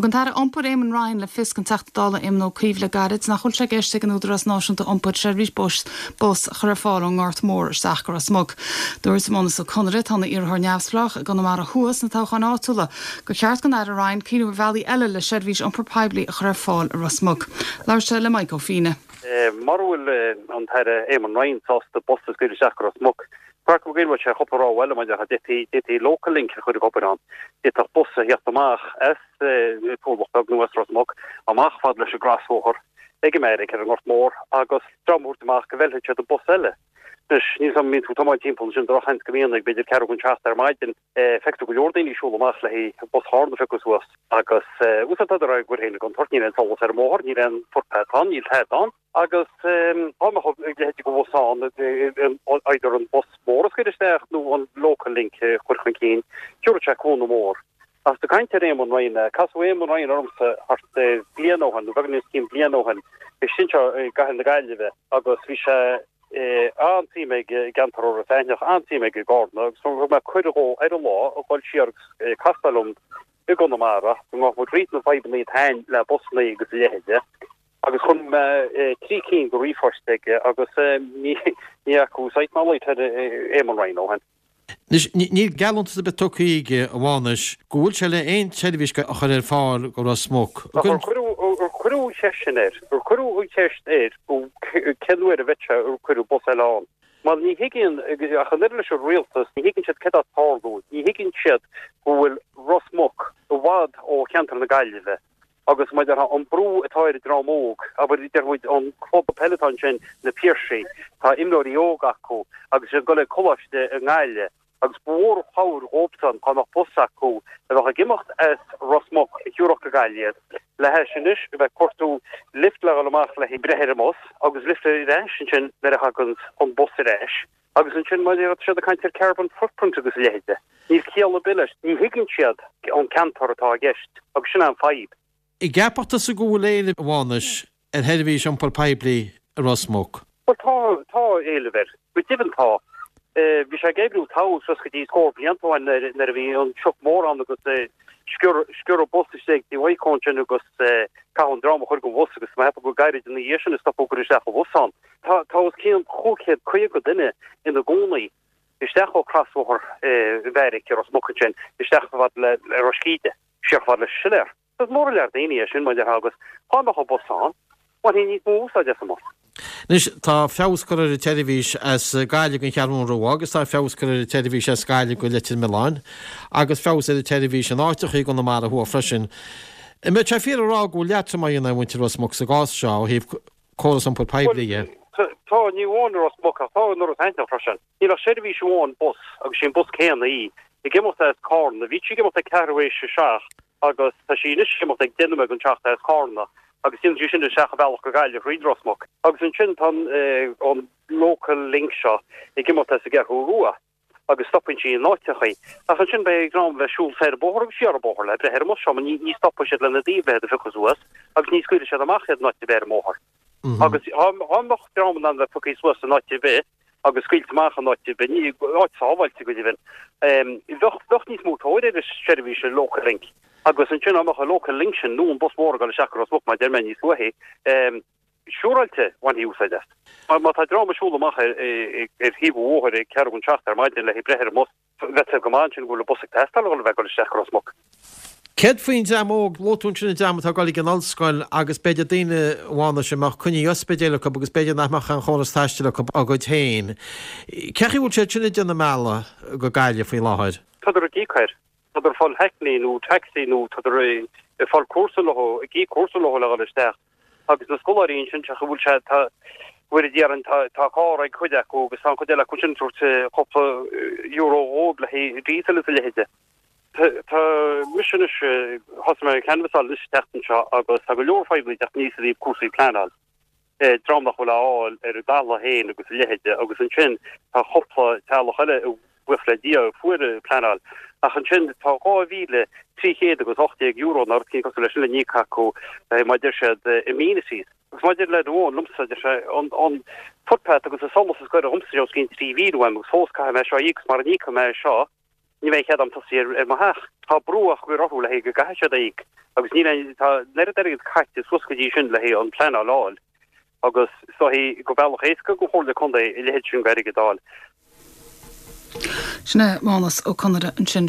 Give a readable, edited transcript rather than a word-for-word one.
Thug an tAire Iompair Eamon Ryan le fios don Teachta Dála Éamon Ó Cuív le gairid nach bhfuil sé i gceist ag an Údarás Náisiúnta Iompair seirbhís bus bus a chur ar fáil ón nGort Mór isteach go Ros Muc. Dúirt Mánus Ó Conaire, atá ina iarrthóir neamhspleách i gConamara Thuaidh sna toghcháin áitiúla, gur cheart don Aire Ryan cuimhneamh ar bhealaí eile le seirbhís iompair poiblí a chur ar fáil i Ros Muc. Labhair sé le Mike Ó Fíne. Mura bhfuil an tAire Eamon Ryan sásta bus a scaoileadh isteach go Ros Muc, Páirc Mhic Goill, bhuel sé chúpla rogha eile mar d'fhéadfaí, d'fhéadfaí Local Link a chur ag obair ann. D'fhéadfadh bus a theacht amach as Turlach Beag nó as Ros Muc, amach fad leis an gcrosbhóthar ag an mBeairic ar an nGort Mór agus dream a thabhairt amach go bhfeilfidh siad an bus eile. Anois, níl 's agam an mbíonn tú ag tiomáint timpeall ansin drochsheans go mbíonn ag b'fhéidir ceathrú chun seacht ar maidin, feicfidh tú go leor daoine ag siúl amach le haghaidh bus Chárna a phiocadh suas agus úsáid tá ar aghaidh féin i gcontúirt, níl aon solas ar an mbóthar, níl aon footpath ann, níl tada ann. Agus dá mbeadh a leithéid de bhus ann, either an bus mór a scaoileadh isteach nó an Local Link a chur chun cinn, thiúrfadh sé cúnamh mór. Ach ag caint ar Éamon Ryan, casadh Éamon Ryan ormsa thart ar bliain ó shin, nó beagán níos cionn bliain ó shin, istigh anseo i gcathair na Gaillimhe agus bhí sé an-suim aige i gceantar Iorras Aithneach, an-suim aige i gCárna agus thug mé cuireadh dhó ar an lá a dhul siar agus castáil liom i gConamara go ngabhfadh muid thríd na fadhbanna atá ann le busanna agus a leithéide. Agus chuir mé 3 cinn de ríomhphoist aige agus ní fhaca sight ná light ar Éamon Ryan ó shin. Anois, níl geallúntas ar bith tugtha aige, a Mhánais, go bhfuil sé le aon tseirbhís a chur ar fáil go Ros Muc. Ach ar cuireadh an cheist sin air? Ar cuireadh an cheist air cén uair a bheidh sé ag cuireadh bus eile ann? Mar ní thuigeann, ach an oiread leis an rialtas, ní thuigeann siad céard atá ag tarlú. Ní thuigeann siad go bhfuil Ros Muc i bhfad ó cheantar na Gaillimhe. Agus mar a déarfá, an brú atá ar an dream óg, abair, deir muid, an club peile atá ansin, na Piarsaigh, tá imreoirí óga acu agus iad ag dul ag coláiste i nGaillimh agus ba mhór an chabhair dhóibhsan dá mbeadh bus acu a bheadh ag imeacht as Ros Muc a thiúrfadh go Gaillimh iad, le hais anois a bheith ag cuartú lift le dhul amach le breith ar an mbus agus lift ar ais ansin nuair a thagann an bus ar ais. Agus ansin mar tá siad ag caint ar carbon footprint agus a leithéide. Níl ciall ar bith leis. Ní thuigeann siad an ceantar atá i gceist agus sin é an fadhb. An gceapfadh tusa go bhfuil éileamh, a Mhánais, ar sheirbhís iompair poiblí i Ros Muc? Bhuel tá, tá éileamh air. Go deimhin tá. Bhí sé ag oibriú togha suas go dtí scór blianta ó shin nuair a bhí an sioc mór ann agus sciorradh bus istigh ag Tí Mhaidhc ansin agus caitheadh an dream a chur den bhus agus tá mé ag ceapadh go gairid ina dhiaidh sin a stopadh cur isteach an bhus ann. Tá os cionn 550 duine ina gcónaí isteach ó chrosbhóthar an Bheairic i Ros Muc ansin, isteach chomh fada le Ros Cíde, siar chomh fada leis an Siléar. Is mór an lear daoine é sin, mar a déarfá, agus dá mbeadh an bus ann, bhainfí níos mó úsáid as an mbus. Anois, tá feabhas curtha ar an tseirbhís as Gaillimh don Cheathrún Rua agus tá feabhas curtha ar an tseirbhís as Gaillimh go Leitir Mealláin agus feabhas ar an tseirbhís in áiteacha i gConamara Thuaidh freisin. An mbeadh sé fíor a rá go bhfuil leatrom á dhéanamh ar mhuintir Ros Muc sa gcás seo ó thaobh córas iompair poiblí de. Tá, ní amháin i Ros Muc ach tá in Iorras Aithneach freisin. Níl ach seirbhís amháin bus agus sí an bus céanna í, ag imeacht as Cárna. Bhí sí ag imeacht ag ceathrú éis a seacht agus tá sí anois ag imeacht ag 19 nóiméad chun seacht as Cárna agus déanann sí sin isteach an bealach go Gaillimh thríd Ros Muc. Agus ansin tá an Local Link seo ag imeacht as an gCeathrú Rua. agus stopann sí in áiteachaí. Ach ansin beidh ag dream a bheith ag siúl soir an bóthar agus siar an bóthar le breith ar an mbus seo mar ní stopfaidh siad lena dtaobh le iad a phiocadh suas agus ní scaoilfidh siad amach iad in áit ar bith ar an mbóthar. Agus dá mbeadh dream in ann a bheith pioctha suas in áit ar bith agus scaoilte amach in áit ar bith, ní, áit sábháilte go deimhin, bheadh, bheadh níos mó tóir ar an seirbhís an Local Link. Agus ansin dá mbeadh an Local Link sin nó an bus mór ag dul isteach go Ros Muc mar a deir mé níos luaithe, Siúráilte, bhainfí úsáid as. Má tá dream ag siúl amach ar thaobh an bhóthair ag ceathrú chun seacht ar maidin le breith ar an mbus, bheadh go maith ansin go bhfuil an bus ag teastáil a dhul a bheith ag dul isteach go Ros Muc. Céard faoin dream óg? Luaigh tú ansin an dream atá ag dul ag an ollscoil agus b'fhéidir daoine a Mhánais a mbeadh coinní ospidéil acu agus b'fhéidir nach mbeadh aon chóras taistil acu dá gcuid féin. Cén chaoi a bhfuil siad sin ag déanamh an bealaigh go Gaillimh faoi láthair? Tádar ag íoc air. Tádar ag fáil hackney nó taxi nó tádar ag fáil cúrsa leo, ag íoc cúrsa leo le dhul isteach. Agus na scoláirí ansin, sé go bhfuil sé, tá, bhfuil a déarfainn, tá, tá carr ag cuid acu agus tá an chuid eile acu sin ag tabhairt cúpla euro dhóibh le haghaidh diesel is a leithéide. Tá, tá mise anois, thosaigh mé ag canbhasáil anois an tseachtain seo agus tá go leor fadhbanna ag teacht aníos i dtaobh cúrsaí pleanáil. dream nach bhfuil á fháil ar a dtalamh féin agus a leithéide agus ansin tá cúpla teaghlach eile buíochas le Dia a fuair pleanáil ach ansin tá 2,300 agus 18 euro nó rud éicint cosúil leis sin le n-íoc acu mar deir siad amenities. Agus mar deir leaid amháin liomsa deir sé an an footpath agus an solas is gaire dhomsa os cionn 3,000 uaim agus fós caithfidh mé seo a íoc agus mara n-íocfaidh mé seo. Ní bheidh cead a'm tosaí ar mo theach. Tá brú á chur orthu le haghaidh go gcaithfidh siad a íoc agus níl aon, tá an oiread airgid caite suas go dtí sin le haghaidh an pleanáil a fháil agus is dóichí gur bealach éasca don Chomhairle Contae a leithéid sin d'airgead a fháil. Sin é Mánus Ó Conaire ansin. Sin.